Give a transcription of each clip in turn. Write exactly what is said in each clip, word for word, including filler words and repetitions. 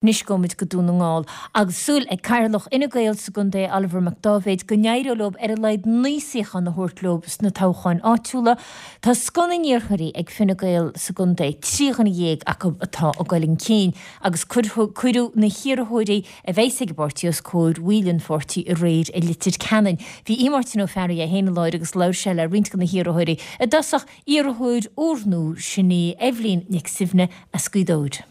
Anois gabhfaimid go Dún na nGall agus súil ag Cathaoirleach Fhine Gael sa gcontae Oliver Mac Dáibhéid go n-éireoidh leo ar a laghad naoi suíochán a thabhairt leo sna toghcháin áitiúla. Tá scoth na n-iarrthóirí ag Fine Gael sa gcontae, trí dhuine dhéag acu atá ag dul chun cinn agus cuireadh na hiarrthóirí a bheas ag an bpáirtí os comhair bhaill an pháirtí aréir i Leitir Ceanainn. Bhí Máirtín Ó Fearraigh é féin i láthair agus labhair sé le roinnt de na hiarrthóirí. I dtosach iarrthóir úrnua sin í Eibhlín Nic Suibhne as Gaoth Dobhair.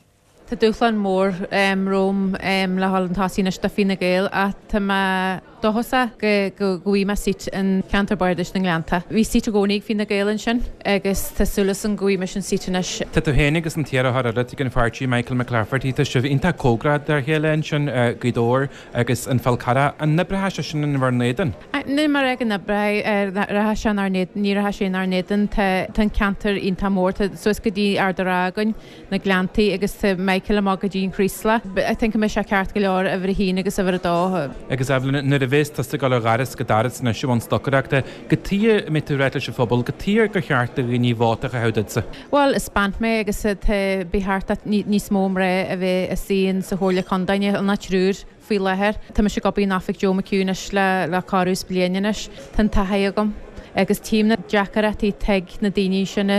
Tá dúshlán mór romham le dhul chun tosaigh anois do Fine Gael ach tá mé dóchasach go go bhfaighidh mé seat in ceantar bardais na nGleannta. Bhí seat i gcónaí ag Fine Gael ansin agus tá súil agam go bhfaighidh mise an seat anois. Tá tú féin agus an t-iarrthóir eile ag an pháirtí Michael McClafferty tá sibh iontach cóngarach dá chéile ansin Gaoth Dobhair agus an Fál Carrach. An oibreoidh sé sin in bhur n-éadan? Ní mar ag an oibre rachaidh sé inár n-éadan, ní rachaidh sé inár n-éadan tá an ceantar iontach mór, tá suas go dtí Ard an Rátha againn, na Gleanntaí agus tá Michael amach go dtí an Chraoslach. I think go mbeidh sé ceart go leor uimhir a haon agus uimhir a dó. Agus Eibhlín, nuair a bhéas tusa ag dul ó dhoras go doras anois i mbun stocaireachta, cad chuige a mbeidh tú ag ráit leis an phobal, cad chuige gur cheart do dhaoine vóta a chaitheamh duitse. Bhuel, is bean mé agus tá ba cheart níos mó mná a bheith istigh in sa Chomhairle Contae, níl ach triúr faoi láthair. Tá mise ag obair in oifig Joe McHugh anois le le corradh is bliain anois. Tá an taithí agam agus tchím na deacrachtaí atá ag na daoine sin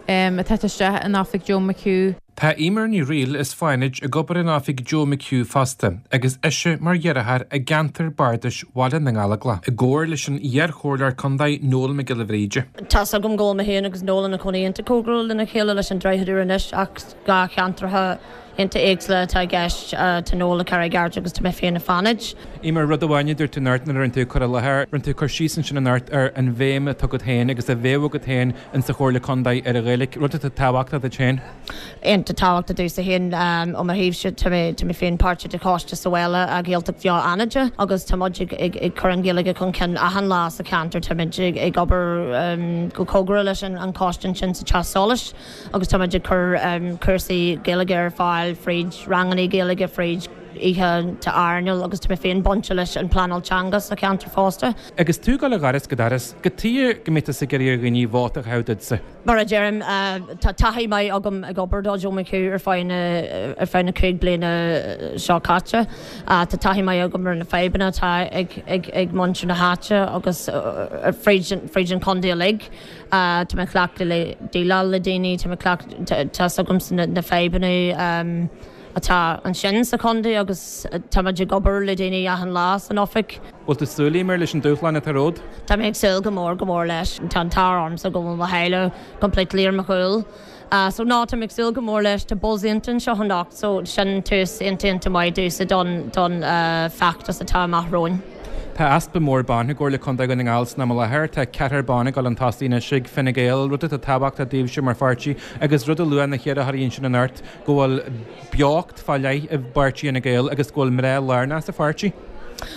atá isteach in oifig Joe McHugh. Tá Eimear Ní Fhrighil as Fánaid ag obair in oifig Joe McHugh fosta, agus ise mar dheartháir i gceantar bardais Bhaile na nGallóglach, i gcomhar leis an iar-chomhairleoir contae Noel Mac Giolla Bhríde. Tá's agam go bhfuil mé féin agus Noel ina cónaí iontach cóngarach lena chéile leis an Droichead Úr anois ach dhá cheantracha iontach éagsúla atá i gceist. Tá Noel i Carraig Airt agus tá mé féin i Fánaid. Eimear, rud amháin a dúirt tú anocht nuair a rinne tú cur i láthair, rinne tú cur síos ansin anocht ar an bhéim atá agat féin agus a bheadh agat féin insa Chomhairle Contae ar an Ghaeilge, rud atá tábhachtach duit féin. Iontach tábhachtach domhsa féin ó mo thaobhse, tá mé tá mé féin páirteach de choiste sa bhaile a Ghaeltacht Bheo Fhánada agus tá muid ag ag ag cur an Ghaeilge chun cinn achan lá sa cheantar, tá muid ag ag obair go cóngarach leis an an choiste ansin sa Teach Solais agus tá muid ag cur cúrsaí Gaeilge ar fáil fríd ranganna Gaeilge fríd oícheanta airneáil agus tá mé féin bainte leis an pleanáil teanga sa cheantar fosta. Agus tú ag dul ó dhoras go doras, cad chuige go mbeidh tusa ag iarraidh ar dhaoine vóta a chaitheamh duitse. Mar a deirim, tá taithí maith agam ag obair do Joe McHugh ar feadh na ar feadh na cúig bliana seo caite. Tá taithí maith agam ar na fadhbanna atá ag ag ag muintir na háite agus fríd fríd an chontae uilig. Tá mé cleachta le déileáil le daoine, tá mé cleacht tá's agamsa na na fadhbanna atá ansin sa chontae agus tá muid ag obair le daoine achan lá san oifig. Bhfuil tú ag súil Eimear leis an dúshlán atá romhat? Tá mé ag súil go mór go mór leis. Tá an t-ádh ormsa go bhfuil mo theaghlach completely ar mo chúl. So no, tá mé ag súil go mór leis. Tá buzz iontach anseo anocht so sin tús iontach iontach maith domhsa don don feachtas atá amach romhainn. Tá easpa mór ban i gComhairle Contae Dhún na nGall san am i láthair. Tá ceathrar ban ag dul chun tosaigh anois ag Fine Gael, rud atá tábhachtach daoibhse mar pháirtí agus rud a luaigh na hiarrthóirí ansin anocht go bhfuil beocht fá leith i bpáirtí Fhine Gael agus go bhfuil mná lárnach sa pháirtí.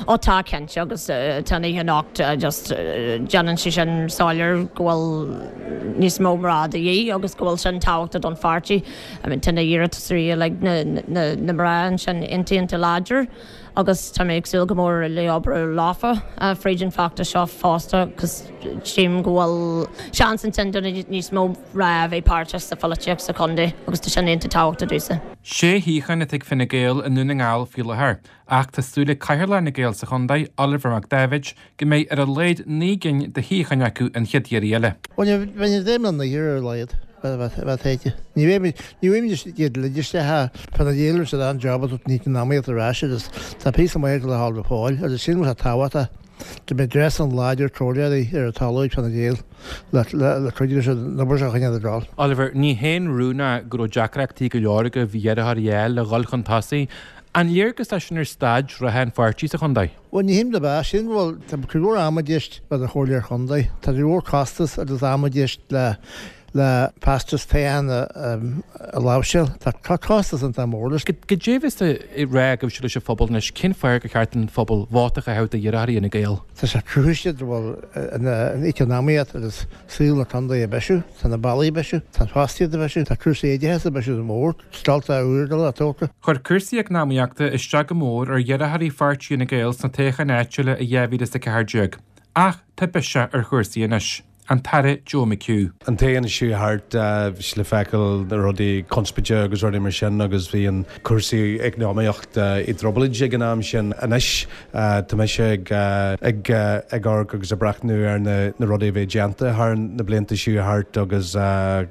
Ó tá cinnte agus tá an oíche anocht just déanann sé sin soiléir go bhfuil níos mó mná de dhíth agus go bhfuil sin tábhachtach don pháirtí. I mean tá na hiarratasóirí uilig na na na mná ansin iontach iontach láidir. Agus tá mé ag súil go mór le obair leofa fríd an feachtas seo fosta cos tchím go bhfuil seans ansin do níos mó mná a bheith páirteach sa pholaitíocht sa chontae agus tá sin iontach tábhachtach domhsa. Sé shuíochán atá ag Fine Gael i nDún na nGall faoi láthair, ach tá súil ag Cathaoirleach Fhine Gael sa chontae, Oliver Mac Dáibhéid, go mbeidh ar a laghad naoi gcinn de shuíocháin acu an chéad iarraidh eile. Bhuel, ní bheidh mé naoi ar a laghad. Bheith théite. Ní bheidh ní bheidh iad le isteach fá na díol sa an job atá ní an amaíocht ar ais agus tá píosa maith le hál go fóill agus sin rud tábhachtach go mbeidh dreas an láidir comhairleoirí ar an talamh ag Fine Gael le le cuidiú leis an obair seo a choinneáil ag dul. Oliver, ní haon rún é go raibh deacrachtaí go leor agaibh iarrthóirí a fháil le dhul chun tosaigh. An léargas é sin ar staid reatha an pháirtí sa chontae? Bhuel, ní hé do bheatha sin, bhuel, tá cuid mhór ama i gceist le do chomhairleoir chontae. Tá cuid mhór costas agus am i gceist le le feachtas toghcháin a láimhseáil. Tá costas iontach mór leis. Cad é a bheas le rá agaibhse leis an phobal anois? Cén fáth gur cheart don phobal vóta a chaitheamh d'iarrthóirí Fhine Gael? Tá sé cruthaithe go bhfuil an eacnamaíocht agus saol na contae ag bisiú, tá na bealaí ag bisiú, tá an fostaíocht ag bisiú, tá cúrsaí oideachais ag bisiú go mór, scoltacha úra le tógáil. Chuir cúrsaí eacnamaíochta isteach go mór ar iarrthóirí pháirtí Fhine Gael sna toghcháin áitiúla i dhá mhíle is a ceathair déag. Ach tá biseach ar chúrsaí anois. an tAire Joe McHugh. An t-am seo thart bhí sé le feiceáil na rudaí conspóide agus rudaí mar sin agus bhí an cúrsaí eacnamaíocht i dtrioblóid ag an am sin. Anois tá mise ag ag ag amharc agus ag breathnú ar na na rudaí a bhí déanta thar na blianta seo thart agus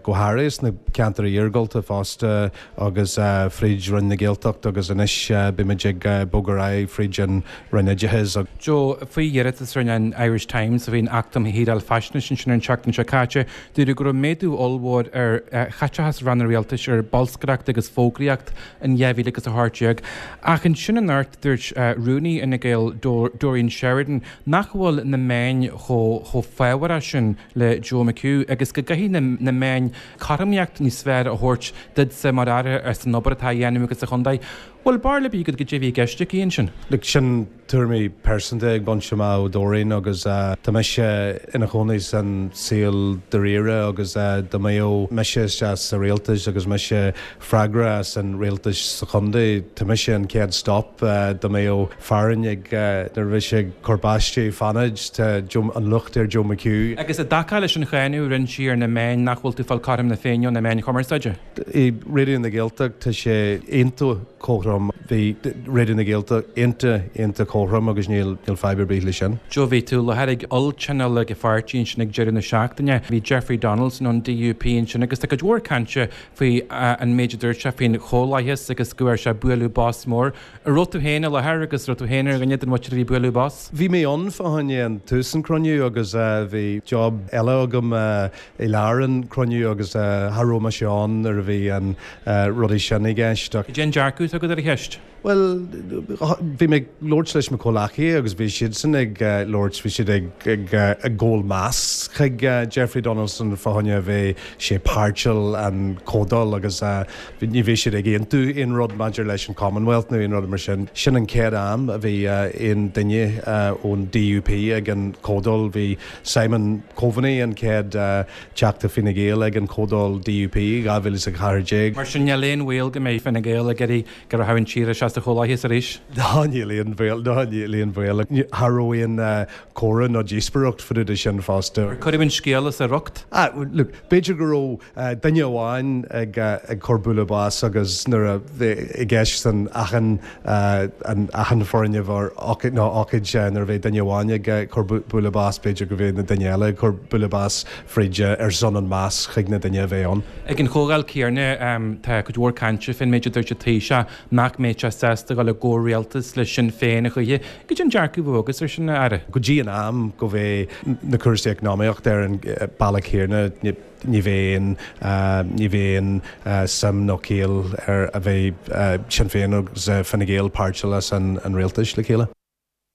go háirithe sna ceantair iargúlta fosta agus fríd Roinn na Gaeltachta agus anois beimid ag bogadh ar aghaidh fríd an Roinn Oideachais. Joe, faoi iarratas a rinne an Irish Times a bhíonn Acht um Shaoráil Faisnéise ansin an tseachtain seo caite, dúradh go raibh méadú ollmhór ar chaiteachas ranna rialtais ar bolscaireacht agus fógraíocht in dhá mhíle agus a hocht déag. Ach ansin anocht dúirt Rúnaí Fhine Gael Doreen Sheridan nach bhfuil na meáin chomh chomh fábharach sin le Joe McHugh agus go gcaithfidh na meáin cothromaíocht níos fearr a thabhairt duitse mar aire as an obair atá á dhéanamh agat sa chontae. Bhfuil barúil ar bith agat goidé a bhí i gceist aici ansin? Look, sin tuairimí pearsanta ag baint amach ó Doreen agus tá mise ina chónaí san saol dáiríre agus dá mbeadh mise isteach sa rialtas agus mise freagrach as an rialtas sa chontae, tá mise an chéad stop dá mbeadh fearann ag nuair a bhí sé ag cur báistí fanaid, tá an locht ar Joe McHugh. Agus i dtaca leis an cháineadh a rinne sí ar na meáin nach bhfuil tú ag fáil cothrom na Féinne ó na meáin chumarsáide? I Raidió na Gaeltachta tá sé iontach cothrom. Bhí Raidió na Gaeltachta iontach, iontach cothrom agus níl níl fadhb ar bith leis sin. Joe, bhí tú i láthair ag olltionól ag an pháirtí ansin ag deireadh na seachtaine. Bhí Jeffrey Donaldson ón DUP ansin agus tá cuid mhór cainte faoi an méid a dúirt sé faoin Chomhlathas agus go bhfuair sé bualadh bos mór. An raibh tú féin i láthair agus raibh tú féin ar dhuine den mhuintir a bhí ag bualadh bos? Bhí mé ann fá choinne an tús an cruinniú agus bhí job eile agam i lár an cruinniú agus cha raibh mise ann nuair a bhí an rudaí sin i gceist ach. Cad é an dearcadh atá agat ar an cheist? Bhuel, bhí mé ag labhairt leis mo chomhleacaithe agus bhí siadsan ag labhairt, bhí siad ag ag ag gabháil meas chuig Jeffrey Donaldson fá choinne a bheith sé páirteach an comhdháil agus ní bhí siad ag aontú aon rud maidir leis an Commonwealth nó aon rud mar sin. Sin an chéad am a bhí aon duine ón DUP ag an comhdháil. Bhí Simon Coveney an chéad Teachta Fine Gael ag an comhdháil DUP dhá mhíle is a ceathair déag. Mar sin níl aon bhaol go mbeidh Fine Gael ag iarraidh go rachadh an tír isteach sa Chomhlathas arís? Ná níl aon bhaol, ná níl aon bhaol. Cha raibh aon comhrá ná díospóireacht fá dtaobh de sin fosta. Ar cuireadh an scéal as a riocht? Ah, look, b'fhéidir go raibh duine amháin ag ag cur bualadh bos agus nuair a bhí i gceist san achan an achan foirgneamh ar ócáid nó ócáid nuair a bhí duine amháin ag cur bualadh bos b'fhéidir go bhí na duine eile ag cur bualadh bos fríd ar son an meas chuig na duine a bheith ann. Ag an chomhdháil céanna tá cuid mhór cainte fén méid a dúirt an Taoiseach nach mbeadh sé sásta dul i gcomhrialtas le Sinn Féin a choíche. Goidé an dearcadh a bheadh agat ar sin, a Aire? Go dtí an am go bheidh na cúrsaí eacnamaíochta ar an bealach céanna ní bheidh aon ní bheidh aon suim nó ciall ar a bheith Sinn Féin agus Fine Gael páirteach as an rialtas le chéile.